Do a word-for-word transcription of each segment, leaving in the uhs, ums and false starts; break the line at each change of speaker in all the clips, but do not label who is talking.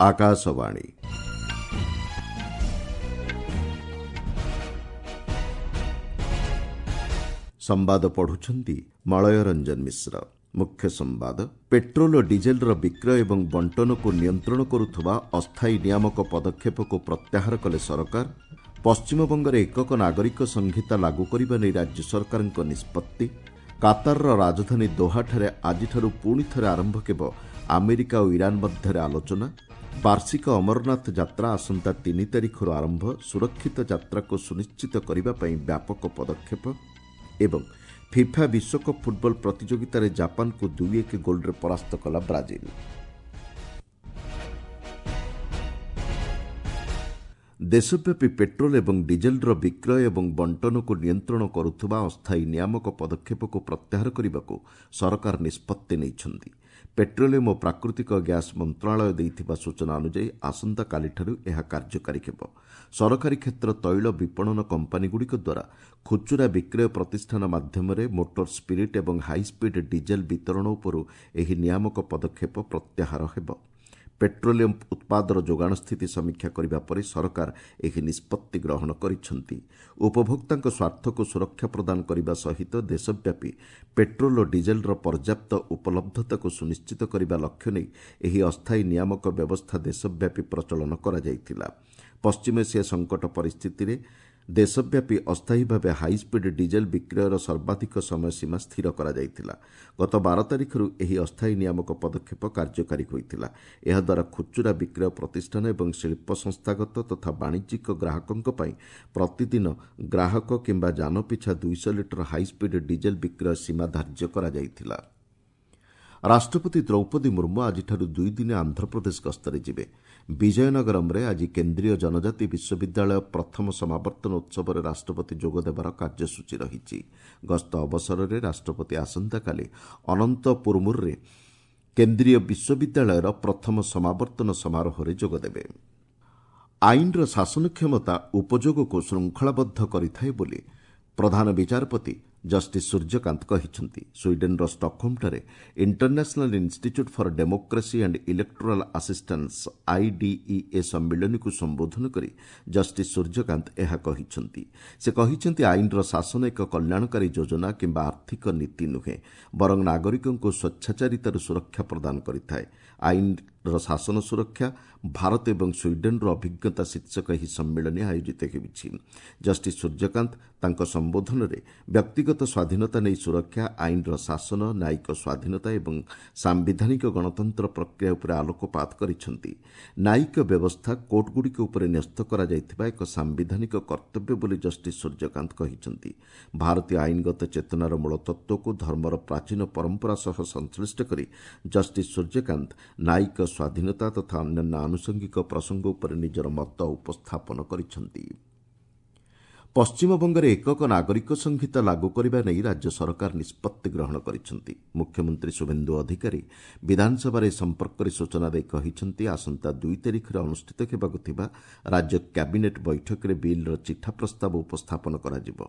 ଆକାଶବାଣୀ। ସମ୍ବାଦ ପଢୁଛନ୍ତି ମଳୟ ରଞ୍ଜନ ମିଶ୍ର। ମୁଖ୍ୟ ସମ୍ବାଦ, ପେଟ୍ରୋଲ ଓ ଡିଜେଲର ବିକ୍ରୟ ଏବଂ ବଣ୍ଟନକୁ ନିୟନ୍ତ୍ରଣ କରୁଥିବା ଅସ୍ଥାୟୀ ନିୟାମକ ପଦକ୍ଷେପକୁ ପ୍ରତ୍ୟାହାର କଲେ ସରକାର। ପଶ୍ଚିମବଙ୍ଗରେ ଏକକ ନାଗରିକ ସଂହିତା ଲାଗୁ କରିବା ନେଇ ରାଜ୍ୟ ସରକାରଙ୍କ ନିଷ୍ପତ୍ତି। କାତାରର ରାଜଧାନୀ ଦୋହାଠାରେ ଆଜିଠାରୁ ପୁଣି ଥରେ ଆରମ୍ଭ ହେବ ଆମେରିକା ଓ ଇରାନ ମଧ୍ୟରେ ଆଲୋଚନା। ବାର୍ଷିକ ଅମରନାଥ ଯାତ୍ରା ଆସନ୍ତା ତିନି ତାରିଖରୁ ଆରମ୍ଭ, ସୁରକ୍ଷିତ ଯାତ୍ରାକୁ ସୁନିଶ୍ଚିତ କରିବା ପାଇଁ ବ୍ୟାପକ ପଦକ୍ଷେପ। ଏବଂ ଫିଫା ବିଶ୍ୱକପ୍ ଫୁଟବଲ ପ୍ରତିଯୋଗିତାରେ ଜାପାନକୁ ଦୁଇ ଏକ ଗୋଲ୍ରେ ପରାସ୍ତ କଲା ବ୍ରାଜିଲ। ଦେଶବ୍ୟାପୀ ପେଟ୍ରୋଲ ଏବଂ ଡିଜେଲର ବିକ୍ରୟ ଏବଂ ବଣ୍ଟନକୁ ନିୟନ୍ତ୍ରଣ କରୁଥିବା ଅସ୍ଥାୟୀ ନିୟାମକ ପଦକ୍ଷେପକୁ ପ୍ରତ୍ୟାହାର କରିବାକୁ ସରକାର ନିଷ୍ପତ୍ତି ନେଇଛନ୍ତି। ପେଟ୍ରୋଲିୟମ ଓ ପ୍ରାକୃତିକ ଗ୍ୟାସ୍ ମନ୍ତ୍ରଣାଳୟ ଦେଇଥିବା ସୂଚନା ଅନୁଯାୟୀ ଆସନ୍ତାକାଲିଠାରୁ ଏହା କାର୍ଯ୍ୟକାରୀ ହେବ। ସରକାରୀ କ୍ଷେତ୍ର ତୈଳ ବିପଣନ କମ୍ପାନୀଗୁଡ଼ିକ ଦ୍ୱାରା ଖୁଚୁରା ବିକ୍ରୟ ପ୍ରତିଷ୍ଠାନ ମାଧ୍ୟମରେ ମୋଟର ସ୍ପିରିଟ୍ ଏବଂ ହାଇସ୍ପିଡ୍ ଡିଜେଲ ବିତରଣ ଉପରୁ ଏହି ନିୟାମକ ପଦକ୍ଷେପ ପ୍ରତ୍ୟାହାର ହେବ। ପେଟ୍ରୋଲିୟମ ଉତ୍ପାଦର ଯୋଗାଣ ସ୍ଥିତି ସମୀକ୍ଷା କରିବା ପରେ ସରକାର ଏହି ନିଷ୍ପତ୍ତି ଗ୍ରହଣ କରିଛନ୍ତି। ଉପଭୋକ୍ତାଙ୍କ ସ୍ୱାର୍ଥକୁ ସୁରକ୍ଷା ପ୍ରଦାନ କରିବା ସହିତ ଦେଶବ୍ୟାପୀ ପେଟ୍ରୋଲ ଓ ଡିଜେଲର ପର୍ଯ୍ୟାପ୍ତ ଉପଲବ୍ଧତାକୁ ସୁନିଶ୍ଚିତ କରିବା ଲକ୍ଷ୍ୟ ନେଇ ଏହି ଅସ୍ଥାୟୀ ନିୟାମକ ବ୍ୟବସ୍ଥା ଦେଶବ୍ୟାପୀ ପ୍ରଚଳନ କରାଯାଇଥିଲା। ପଶ୍ଚିମ ଏସିଆ ସଙ୍କଟ ପରିସ୍ଥିତିରେ ଦେଶବ୍ୟାପୀ ଅସ୍ଥାୟୀ ଭାବେ ହାଇସ୍ପିଡ୍ ଡିଜେଲ ବିକ୍ରୟର ସର୍ବାଧିକ ସମୟସୀମା ସ୍ଥିର କରାଯାଇଥିଲା। ଗତ ବାର ତାରିଖରୁ ଏହି ଅସ୍ଥାୟୀ ନିୟାମକ ପଦକ୍ଷେପ କାର୍ଯ୍ୟକାରୀ ହୋଇଥିଲା। ଏହାଦ୍ୱାରା ଖୁଚୁରା ବିକ୍ରୟ ପ୍ରତିଷ୍ଠାନ ଏବଂ ଶିଳ୍ପ ସଂସ୍ଥାଗତ ତଥା ବାଣିଜ୍ୟିକ ଗ୍ରାହକଙ୍କ ପାଇଁ ପ୍ରତିଦିନ ଗ୍ରାହକ କିମ୍ବା ଯାନ ପିଛା ଦୁଇଶହ ଲିଟର ହାଇସ୍ପିଡ୍ ଡିଜେଲ ବିକ୍ରୟ ସୀମା ଧାର୍ଯ୍ୟ କରାଯାଇଥିଲା। ରାଷ୍ଟ୍ରପତି ଦ୍ରୌପଦୀ ମୁର୍ମୁ ଆଜିଠାରୁ ଦୁଇଦିନିଆ ଆନ୍ଧ୍ରପ୍ରଦେଶ ଗସ୍ତରେ ଯିବେ। ବିଜୟନଗରମରେ ଆଜି କେନ୍ଦ୍ରୀୟ ଜନଜାତି ବିଶ୍ୱବିଦ୍ୟାଳୟ ପ୍ରଥମ ସମାବର୍ତ୍ତନ ଉତ୍ସବରେ ରାଷ୍ଟ୍ରପତି ଯୋଗଦେବାର କାର୍ଯ୍ୟସୂଚୀ ରହିଛି। ଗସ୍ତ ଅବସରରେ ରାଷ୍ଟ୍ରପତି ଆସନ୍ତାକାଲି ଅନନ୍ତପୁରମୁରରେ କେନ୍ଦ୍ରୀୟ ବିଶ୍ୱବିଦ୍ୟାଳୟର ପ୍ରଥମ ସମାବର୍ତ୍ତନ ସମାରୋହରେ ଯୋଗଦେବେ। ଆଇନର ଶାସନ କ୍ଷମତା ଉପଯୋଗକୁ ଶୃଙ୍ଖଳାବଦ୍ଧ କରିଥାଏ ବୋଲି ପ୍ରଧାନ ବିଚାରପତି ଜଷ୍ଟିସ୍ ସୂର୍ଯ୍ୟକାନ୍ତ କହିଛନ୍ତି। ସ୍ୱିଡେନ୍ର ଷ୍ଟକହୋମ୍ଠାରେ International Institute for Democracy and Electoral Assistance IDEA ସମ୍ମିଳନୀକୁ ସମ୍ବୋଧନ କରି ଜଷ୍ଟିସ୍ ସୂର୍ଯ୍ୟକାନ୍ତ ଏହା କହିଛନ୍ତି। ସେ କହିଛନ୍ତି, ଆଇନର ଶାସନ ଏକ କଲ୍ୟାଣକାରୀ ଯୋଜନା କିମ୍ବା ଆର୍ଥିକ ନୀତି ନୁହେଁ, ବରଂ ନାଗରିକଙ୍କୁ ସ୍ୱେଚ୍ଛାଚାରିତାରୁ ସୁରକ୍ଷା ପ୍ରଦାନ କରିଥାଏ। ଆଇନର ଶାସନ ସୁରକ୍ଷା, ଭାରତ ଏବଂ ସ୍ୱିଡେନ୍ର ଅଭିଜ୍ଞତା ଶୀର୍ଷକ ଏହି ସମ୍ମିଳନୀ ଆୟୋଜିତ ହେଉଛି। ଜଷ୍ଟିସ୍ ସୂର୍ଯ୍ୟକାନ୍ତ ତାଙ୍କ ସମ୍ବୋଧନରେ ବ୍ୟକ୍ତିଗତ ସ୍ୱାଧୀନତା ନେଇ ସୁରକ୍ଷା, ଆଇନର ଶାସନ, ନ୍ୟାୟିକ ସ୍ୱାଧୀନତା ଏବଂ ସାମ୍ବିଧାନିକ ଗଣତନ୍ତ୍ର ପ୍ରକ୍ରିୟା ଉପରେ ଆଲୋକପାତ କରିଛନ୍ତି। ନ୍ୟାୟିକ ବ୍ୟବସ୍ଥା କୋର୍ଟଗୁଡ଼ିକ ଉପରେ ନ୍ୟସ୍ତ କରାଯାଇଥିବା ଏକ ସାମ୍ବିଧାନିକ କର୍ତ୍ତବ୍ୟ ବୋଲି ଜଷ୍ଟିସ୍ ସୂର୍ଯ୍ୟକାନ୍ତ କହିଛନ୍ତି। ଭାରତୀୟ ଆଇନଗତ ଚେତନାର ମୂଳତତ୍ତ୍ୱକୁ ଧର୍ମର ପ୍ରାଚୀନ ପରମ୍ପରା ସହ ସଂଶ୍ଳିଷ୍ଟ କରି ଜଷ୍ଟିସ୍ ସୂର୍ଯ୍ୟକାନ୍ତ ନ୍ୟାୟିକ ସ୍ୱାଧୀନତା ତଥା ଅନ୍ୟାନ୍ୟ ଆନୁଷଙ୍ଗିକ ପ୍ରସଙ୍ଗ ଉପରେ ନିଜର ମତ ଉପସ୍ଥାପନ କରିଛନ୍ତି। ପଶ୍ଚିମବଙ୍ଗରେ ଏକକ ନାଗରିକ ସଂହିତା ଲାଗୁ କରିବା ନେଇ ରାଜ୍ୟ ସରକାର ନିଷ୍ପତ୍ତି ଗ୍ରହଣ କରିଛନ୍ତି। ମୁଖ୍ୟମନ୍ତ୍ରୀ ଶୁଭେନ୍ଦୁ ଅଧିକାରୀ ବିଧାନସଭାରେ ଏ ସମ୍ପର୍କରେ ସୂଚନା ଦେଇ କହିଛନ୍ତି, ଆସନ୍ତା ଦୁଇ ତାରିଖରେ ଅନୁଷ୍ଠିତ ହେବାକୁ ଥିବା ରାଜ୍ୟ କ୍ୟାବିନେଟ୍ ବୈଠକରେ ବିଲ୍ର ଚିଠା ପ୍ରସ୍ତାବ ଉପସ୍ଥାପନ କରାଯିବ।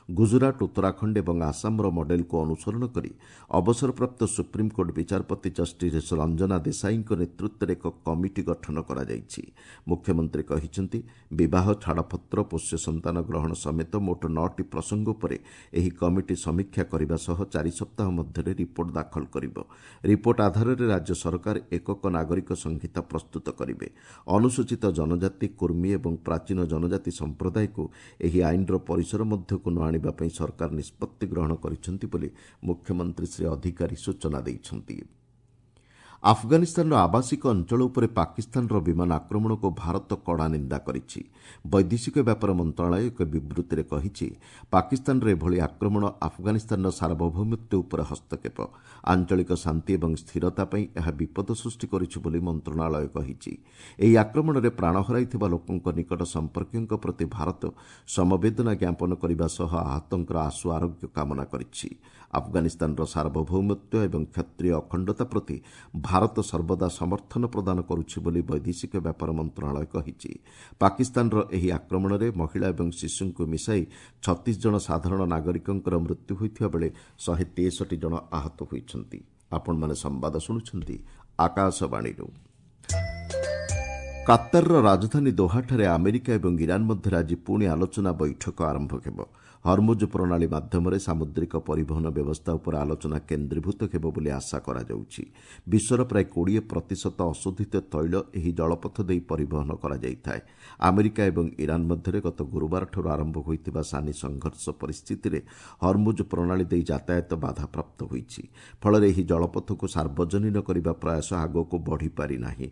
ଗୁଜୁରାଟ, ଉତ୍ତରାଖଣ୍ଡ ଏବଂ ଆସାମର ମଡେଲକୁ ଅନୁସରଣ କରି ଅବସରପ୍ରାପ୍ତ ସୁପ୍ରିମକୋର୍ଟ ବିଚାରପତି ଜଷ୍ଟିସ୍ ରଞ୍ଜନା ଦେଶାଇଙ୍କ ନେତୃତ୍ୱରେ ଏକ କମିଟି ଗଠନ କରାଯାଇଛି। ମୁଖ୍ୟମନ୍ତ୍ରୀ କହିଛନ୍ତି, ବିବାହ, ଛାଡ଼ପତ୍ର, ପୋଷ୍ୟ ସନ୍ତାନ ଗ୍ରହଣ ସମେତ ମୋଟ ନଅଟି ପ୍ରସଙ୍ଗ ଉପରେ ଏହି କମିଟି ସମୀକ୍ଷା କରିବା ସହ ଚାରି ସପ୍ତାହ ମଧ୍ୟରେ ରିପୋର୍ଟ ଦାଖଲ କରିବ। ରିପୋର୍ଟ ଆଧାରରେ ରାଜ୍ୟ ସରକାର ଏକକ ନାଗରିକ ସଂହିତା ପ୍ରସ୍ତୁତ କରିବେ। ଅନୁସୂଚିତ ଜନଜାତି, କୁର୍ମୀ ଏବଂ ପ୍ରାଚୀନ ଜନଜାତି ସମ୍ପ୍ରଦାୟକୁ ଏହି ଆଇନର ପରିସର ମଧ୍ୟକୁ ନ ଆଣିବା ପାଇଁ ସରକାର ନିଷ୍ପତ୍ତି ଗ୍ରହଣ କରିଛନ୍ତି ବୋଲି ମୁଖ୍ୟମନ୍ତ୍ରୀ ଶ୍ରୀ ଅଧିକାରୀ ସୂଚନା ଦେଇଛନ୍ତି। ଆଫଗାନିସ୍ତାନର ଆବାସିକ ଅଞ୍ଚଳ ଉପରେ ପାକିସ୍ତାନର ବିମାନ ଆକ୍ରମଣକୁ ଭାରତ କଡ଼ା ନିନ୍ଦା କରିଛି। ବୈଦେଶିକ ବ୍ୟାପାର ମନ୍ତ୍ରଣାଳୟ ଏକ ବିବୃତ୍ତିରେ କହିଛି, ପାକିସ୍ତାନର ଏଭଳି ଆକ୍ରମଣ ଆଫଗାନିସ୍ତାନର ସାର୍ବଭୌମତ୍ୱ ଉପରେ ହସ୍ତକ୍ଷେପ, ଆଞ୍ଚଳିକ ଶାନ୍ତି ଏବଂ ସ୍ଥିରତା ପାଇଁ ଏହା ବିପଦ ସୃଷ୍ଟି କରିଛି ବୋଲି ମନ୍ତ୍ରଣାଳୟ କହିଛି। ଏହି ଆକ୍ରମଣରେ ପ୍ରାଣ ହରାଇଥିବା ଲୋକଙ୍କ ନିକଟ ସମ୍ପର୍କୀୟଙ୍କ ପ୍ରତି ଭାରତ ସମବେଦନା ଜ୍ଞାପନ କରିବା ସହ ଆହତଙ୍କର ଆଶୁ ଆରୋଗ୍ୟ କାମନା କରିଛି। ଆଫଗାନିସ୍ତାନର ସାର୍ବଭୌମତ୍ୱ ଏବଂ କ୍ଷତ୍ରିୟ ଅଖଣ୍ଡତା ପ୍ରତି ଭାରତ ସର୍ବଦା ସମର୍ଥନ ପ୍ରଦାନ କରୁଛି ବୋଲି ବୈଦେଶିକ ବ୍ୟାପାର ମନ୍ତ୍ରଣାଳୟ କହିଛି। ପାକିସ୍ତାନର ଏହି ଆକ୍ରମଣରେ ମହିଳା ଏବଂ ଶିଶୁଙ୍କୁ ମିଶାଇ ଛତିଶ ଜଣ ସାଧାରଣ ନାଗରିକଙ୍କର ମୃତ୍ୟୁ ହୋଇଥିବା ବେଳେ ଶହେ ତେଷଠି ଜଣ ଆହତ ହୋଇଛନ୍ତି। ଆପଣମାନେ ସମ୍ବାଦ ଶୁଣୁଛନ୍ତି ଆକାଶବାଣୀରୁ। କାତାରର ରାଜଧାନୀ ଦୋହାଠାରେ ଆମେରିକା ଏବଂ ଇରାନ ମଧ୍ୟରେ ଆଜି ପୁଣି ଆଲୋଚନା ବୈଠକ ଆରମ୍ଭ ହେବ। ହରମୁଜ ପ୍ରଣାଳୀ ମାଧ୍ୟମରେ ସାମୁଦ୍ରିକ ପରିବହନ ବ୍ୟବସ୍ଥା ଉପରେ ଆଲୋଚନା କେନ୍ଦ୍ରୀଭୂତ ହେବ ବୋଲି ଆଶା କରାଯାଉଛି। ବିଶ୍ୱର ପ୍ରାୟ କୋଡ଼ିଏ ପ୍ରତିଶତ ଅଶୋଧିତ ତୈଳ ଏହି ଜଳପଥ ଦେଇ ପରିବହନ କରାଯାଇଥାଏ। ଆମେରିକା ଏବଂ ଇରାନ ମଧ୍ୟରେ ଗତ ଗୁରୁବାରଠାରୁ ଆରମ୍ଭ ହୋଇଥିବା ସାନି ସଂଘର୍ଷ ପରିସ୍ଥିତିରେ ହରମୁଜ ପ୍ରଣାଳୀ ଦେଇ ଯାତାୟାତ ବାଧାପ୍ରାପ୍ତ ହୋଇଛି। ଫଳରେ ଏହି ଜଳପଥକୁ ସାର୍ବଜନୀନ କରିବା ପ୍ରୟାସ ଆଗକୁ ବଢ଼ିପାରିନାହିଁ।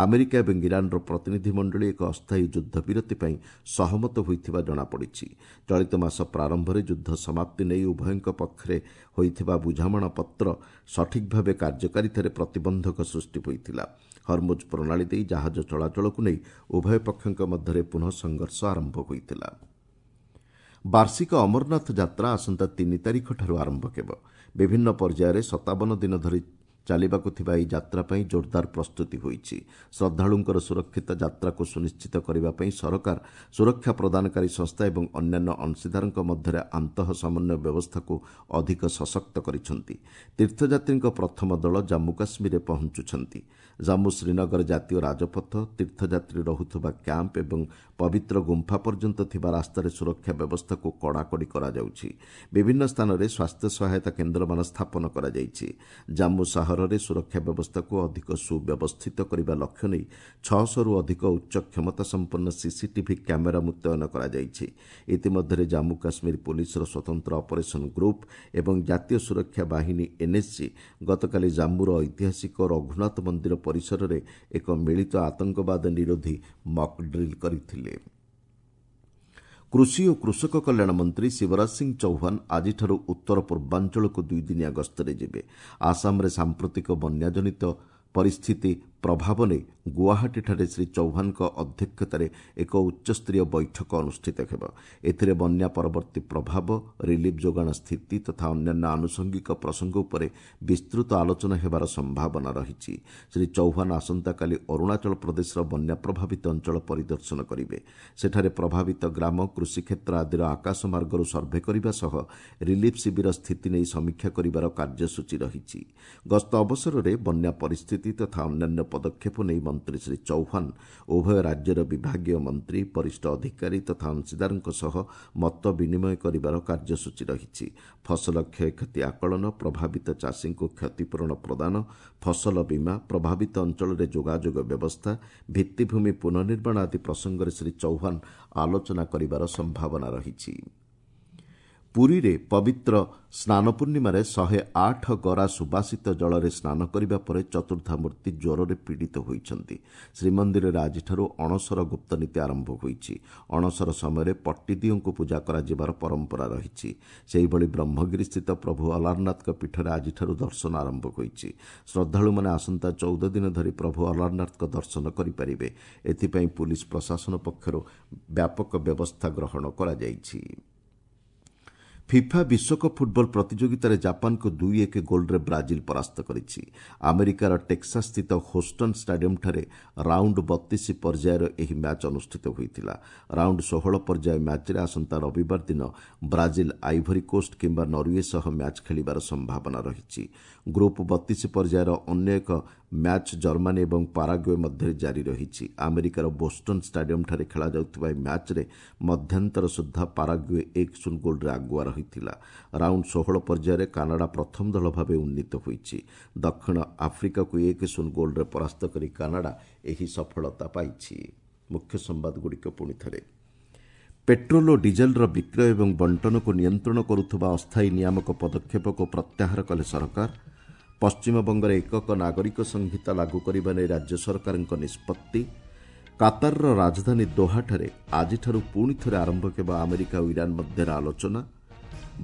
ଆମେରିକା ଏବଂ ଇରାନର ପ୍ରତିନିଧିମଣ୍ଡଳୀ ଏକ ଅସ୍ଥାୟୀ ଯୁଦ୍ଧବିରତି ପାଇଁ ସହମତ ହୋଇଥିବା ଜଣାପଡ଼ିଛି। ଚଳିତ ମାସ ପ୍ରାରମ୍ଭରେ ଯୁଦ୍ଧ ସମାପ୍ତି ନେଇ ଉଭୟଙ୍କ ପକ୍ଷରେ ହୋଇଥିବା ବୁଝାମଣାପତ୍ର ସଠିକ୍ ଭାବେ କାର୍ଯ୍ୟକାରିତାରେ ପ୍ରତିବନ୍ଧକ ସୃଷ୍ଟି ହୋଇଥିଲା। ହରମୁଜ ପ୍ରଣାଳୀ ଦେଇ ଜାହାଜ ଚଳାଚଳକୁ ନେଇ ଉଭୟ ପକ୍ଷଙ୍କ ମଧ୍ୟରେ ପୁନଃ ସଂଘର୍ଷ ଆରମ୍ଭ ହୋଇଥିଲା। ବାର୍ଷିକ ଅମରନାଥ ଯାତ୍ରା ଆସନ୍ତା ତିନି ତାରିଖଠାରୁ ଆରମ୍ଭ ହେବ। ବିଭିନ୍ନ ପର୍ଯ୍ୟାୟରେ ସତାବନ ଦିନ ଧରି ଚାଲିବାକୁ ଥିବା ଏହି ଯାତ୍ରା ପାଇଁ ଜୋରଦାର ପ୍ରସ୍ତୁତି ହୋଇଛି। ଶ୍ରଦ୍ଧାଳୁଙ୍କର ସୁରକ୍ଷିତ ଯାତ୍ରାକୁ ସୁନିଶ୍ଚିତ କରିବା ପାଇଁ ସରକାର ସୁରକ୍ଷା ପ୍ରଦାନକାରୀ ସଂସ୍ଥା ଏବଂ ଅନ୍ୟାନ୍ୟ ଅଂଶୀଦାରଙ୍କ ମଧ୍ୟରେ ଆନ୍ତଃ ସମନ୍ୱୟ ବ୍ୟବସ୍ଥାକୁ ଅଧିକ ସଶକ୍ତ କରିଛନ୍ତି। ତୀର୍ଥଯାତ୍ରୀଙ୍କ ପ୍ରଥମ ଦଳ ଜାମ୍ମୁ କାଶ୍ମୀରରେ ପହଞ୍ଚୁଛନ୍ତି। ଜାମ୍ମୁ ଶ୍ରୀନଗର ଜାତୀୟ ରାଜପଥ, ତୀର୍ଥଯାତ୍ରୀ ରହୁଥିବା କ୍ୟାମ୍ପ ଏବଂ ପବିତ୍ର ଗୁମ୍ଫା ପର୍ଯ୍ୟନ୍ତ ଥିବା ରାସ୍ତାରେ ସୁରକ୍ଷା ବ୍ୟବସ୍ଥାକୁ କଡ଼ାକଡ଼ି କରାଯାଉଛି। ବିଭିନ୍ନ ସ୍ଥାନରେ ସ୍ୱାସ୍ଥ୍ୟ ସହାୟତା କେନ୍ଦ୍ରମାନ ସ୍ଥାପନ କରାଯାଇଛି। ଜାମ୍ମୁ ସହରରେ ସୁରକ୍ଷା ବ୍ୟବସ୍ଥାକୁ ଅଧିକ ସୁବ୍ୟବସ୍ଥିତ କରିବା ଲକ୍ଷ୍ୟ ନେଇ ଛଅଶହରୁ ଅଧିକ ଉଚ୍ଚ କ୍ଷମତା ସମ୍ପନ୍ନ ସିସିଟିଭି କ୍ୟାମେରା ମୁତୟନ କରାଯାଇଛି। ଇତିମଧ୍ୟରେ ଜାମ୍ମୁ କାଶ୍ମୀର ପୋଲିସର ସ୍ୱତନ୍ତ୍ର ଅପରେସନ ଗ୍ରୁପ୍ ଏବଂ ଜାତୀୟ ସୁରକ୍ଷା ବାହିନୀ ଏନ୍ଏସ୍ଜି ଗତକାଲି ଜାମ୍ମୁର ଐତିହାସିକ ରଘୁନାଥ ମନ୍ଦିର ପରିସରରେ ଏକ ମିଳିତ ଆତଙ୍କବାଦ ନିରୋଧୀ ମକ୍ ଡ୍ରିଲ୍ କରିଥିଲେ। କୃଷି ଓ କୃଷକ କଲ୍ୟାଣ ମନ୍ତ୍ରୀ ଶିବରାଜ ସିଂ ଚୌହାନ ଆଜିଠାରୁ ଉତ୍ତର ପୂର୍ବାଞ୍ଚଳକୁ ଦୁଇଦିନିଆ ଗସ୍ତରେ ଯିବେ। ଆସାମରେ ସାମ୍ପ୍ରତିକ ବନ୍ୟାଜନିତ ପରିସ୍ଥିତି ପ୍ରଭାବ ନେଇ ଗୁଆହାଟୀଠାରେ ଶ୍ରୀ ଚୌହାନଙ୍କ ଅଧ୍ୟକ୍ଷତାରେ ଏକ ଉଚ୍ଚସ୍ତରୀୟ ବୈଠକ ଅନୁଷ୍ଠିତ ହେବ। ଏଥିରେ ବନ୍ୟା ପରବର୍ତ୍ତୀ ପ୍ରଭାବ, ରିଲିଫ୍ ଯୋଗାଣ ସ୍ଥିତି ତଥା ଅନ୍ୟାନ୍ୟ ଆନୁଷଙ୍ଗିକ ପ୍ରସଙ୍ଗ ଉପରେ ବିସ୍ତୃତ ଆଲୋଚନା ହେବାର ସମ୍ଭାବନା ରହିଛି। ଶ୍ରୀ ଚୌହାନ ଆସନ୍ତାକାଲି ଅରୁଣାଚଳ ପ୍ରଦେଶର ବନ୍ୟା ପ୍ରଭାବିତ ଅଞ୍ଚଳ ପରିଦର୍ଶନ କରିବେ। ସେଠାରେ ପ୍ରଭାବିତ ଗ୍ରାମ, କୃଷିକ୍ଷେତ୍ର ଆଦିର ଆକାଶ ମାର୍ଗରୁ ସର୍ଭେ କରିବା ସହ ରିଲିଫ୍ ଶିବିର ସ୍ଥିତି ନେଇ ସମୀକ୍ଷା କରିବାର କାର୍ଯ୍ୟସୂଚୀ ରହିଛି। ଗସ୍ତ ଅବସରରେ ବନ୍ୟା ପରିସ୍ଥିତି ତଥା ଅନ୍ୟାନ୍ୟ ପଦକ୍ଷେପ ନେଇ ମନ୍ତ୍ରୀ ଶ୍ରୀ ଚୌହାନ ଉଭୟ ରାଜ୍ୟର ବିଭାଗୀୟ ମନ୍ତ୍ରୀ, ବରିଷ୍ଠ ଅଧିକାରୀ ତଥା ଅଂଶୀଦାରଙ୍କ ସହ ମତ ବିନିମୟ କରିବାର କାର୍ଯ୍ୟସୂଚୀ ରହିଛି। ଫସଲ କ୍ଷୟକ୍ଷତି ଆକଳନ, ପ୍ରଭାବିତ ଚାଷୀଙ୍କୁ କ୍ଷତିପୂରଣ ପ୍ରଦାନ, ଫସଲ ବୀମା, ପ୍ରଭାବିତ ଅଞ୍ଚଳରେ ଯୋଗାଯୋଗ ବ୍ୟବସ୍ଥା, ଭିତ୍ତିଭୂମି ପୁନଃନିର୍ମାଣ ଆଦି ପ୍ରସଙ୍ଗରେ ଶ୍ରୀ ଚୌହାନ ଆଲୋଚନା କରିବାର ସମ୍ଭାବନା ରହିଛି। ପୁରୀରେ ପବିତ୍ର ସ୍ନାନ ପୂର୍ଣ୍ଣିମାରେ ଶହେ ଆଠ ଗରା ସୁବାସିତ ଜଳରେ ସ୍ନାନ କରିବା ପରେ ଚତୁର୍ଦ୍ଧାମୂର୍ତ୍ତି ଜ୍ୱରରେ ପୀଡ଼ିତ ହୋଇଛନ୍ତି। ଶ୍ରୀମନ୍ଦିରରେ ଆଜିଠାରୁ ଅଣସର ଗୁପ୍ତନୀତି ଆରମ୍ଭ ହୋଇଛି। ଅଣସର ସମୟରେ ପଟ୍ଟିଦିଅଙ୍କୁ ପୂଜା କରାଯିବାର ପରମ୍ପରା ରହିଛି। ସେହିଭଳି ବ୍ରହ୍ମଗିରିସ୍ଥିତ ପ୍ରଭୁ ଅଲାରନାଥଙ୍କ ପୀଠରେ ଆଜିଠାରୁ ଦର୍ଶନ ଆରମ୍ଭ ହୋଇଛି। ଶ୍ରଦ୍ଧାଳୁମାନେ ଆସନ୍ତା ଚଉଦ ଦିନ ଧରି ପ୍ରଭୁ ଅଲାରନାଥଙ୍କ ଦର୍ଶନ କରିପାରିବେ। ଏଥିପାଇଁ ପୁଲିସ ପ୍ରଶାସନ ପକ୍ଷରୁ ବ୍ୟାପକ ବ୍ୟବସ୍ଥା ଗ୍ରହଣ କରାଯାଇଛି। ଫିଫା ବିଶ୍ୱକପ୍ ଫୁଟବଲ ପ୍ରତିଯୋଗିତାରେ ଜାପାନକୁ ଦୁଇ ଏକ ଗୋଲ୍ରେ ବ୍ରାଜିଲ ପରାସ୍ତ କରିଛି। ଆମେରିକାର ଟେକ୍ସାସ୍ଥିତ ହୋଷ୍ଟନ୍ ଷ୍ଟାଡିୟମ୍ଠାରେ ରାଉଣ୍ଡ ବତିଶ ପର୍ଯ୍ୟାୟର ଏହି ମ୍ୟାଚ୍ ଅନୁଷ୍ଠିତ ହୋଇଥିଲା। ରାଉଣ୍ଡ ଷୋହଳ ପର୍ଯ୍ୟାୟ ମ୍ୟାଚ୍ରେ ଆସନ୍ତା ରବିବାର ଦିନ ବ୍ରାଜିଲ ଆଇଭରି କୋଷ୍ଟ କିମ୍ବା ନରୱେ ସହ ମ୍ୟାଚ୍ ଖେଳିବାର ସମ୍ଭାବନା ରହିଛି। ଗ୍ରୁପ୍ ବତିଶ ପର୍ଯ୍ୟାୟର ଅନ୍ୟ ଏକ ମ୍ୟାଚ୍ ଜର୍ମାନୀ ଏବଂ ପାରାଗୁଏ ମଧ୍ୟରେ ଜାରି ରହିଛି। ଆମେରିକାର ବୋଷ୍ଟନ୍ ଷ୍ଟାଡିୟମ୍ଠାରେ ଖେଳାଯାଉଥିବା ଏହି ମ୍ୟାଚ୍ରେ ମଧ୍ୟାନ୍ତର ସୁଦ୍ଧା ପାରାଗୁଏ ଏକ ଶୂନ ଗୋଲ୍ରେ ଆଗୁଆ ରହିଥିଲା। ରାଉଣ୍ଡ ଷୋହଳ ପର୍ଯ୍ୟାୟରେ କାନାଡା ପ୍ରଥମ ଦଳ ଭାବେ ଉନ୍ନୀତ ହୋଇଛି। ଦକ୍ଷିଣ ଆଫ୍ରିକାକୁ ଏକ ଶୂନ ଗୋଲ୍ରେ ପରାସ୍ତ କରି କାନାଡା ଏହି ସଫଳତା ପାଇଛି। ମୁଖ୍ୟ ସମ୍ବାଦଗୁଡ଼ିକ ପୁଣି ଥରେ। ପେଟ୍ରୋଲ ଓ ଡିଜେଲର ବିକ୍ରୟ ଏବଂ ବଣ୍ଟନକୁ ନିୟନ୍ତ୍ରଣ କରୁଥିବା ଅସ୍ଥାୟୀ ନିୟାମକ ପଦକ୍ଷେପକୁ ପ୍ରତ୍ୟାହାର କଲେ ସରକାର। ପଶ୍ଚିମବଙ୍ଗରେ ଏକକ ନାଗରିକ ସଂହିତା ଲାଗୁ କରିବା ନେଇ ରାଜ୍ୟ ସରକାରଙ୍କ ନିଷ୍ପତ୍ତି। କାତାରର ରାଜଧାନୀ ଦୋହାଠାରେ ଆଜିଠାରୁ ପୁଣି ଥରେ ଆରମ୍ଭ ହେବ ଆମେରିକା ଓ ଇରାନ ମଧ୍ୟରେ ଆଲୋଚନା।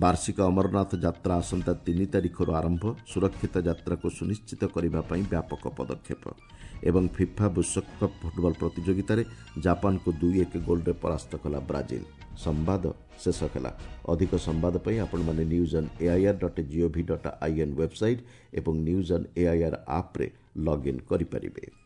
ବାର୍ଷିକ ଅମରନାଥ ଯାତ୍ରା ଆସନ୍ତା ତିନି ତାରିଖରୁ ଆରମ୍ଭ। ସୁରକ୍ଷିତ ଯାତ୍ରାକୁ ସୁନିଶ୍ଚିତ କରିବା ପାଇଁ ବ୍ୟାପକ ପଦକ୍ଷେପ। ଏବଂ ଫିଫା ବିଶ୍ୱକପ୍ ଫୁଟବଲ ପ୍ରତିଯୋଗିତାରେ ଜାପାନକୁ ଦୁଇ ଏକ ଗୋଲ୍ରେ ପରାସ୍ତ କଲା ବ୍ରାଜିଲ। ସମ୍ବାଦ ଶେଷ ହେଲା। ଅଧିକ ସମ୍ବାଦ ପାଇଁ ଆପଣମାନେ news on AIR dot gov dot in website ଏବଂ ନ୍ୟୁଜ୍ ଅନ୍ ଏଆଇଆର୍ ଆପ୍ରେ ଲଗ୍ଇନ୍ କରିପାରିବେ।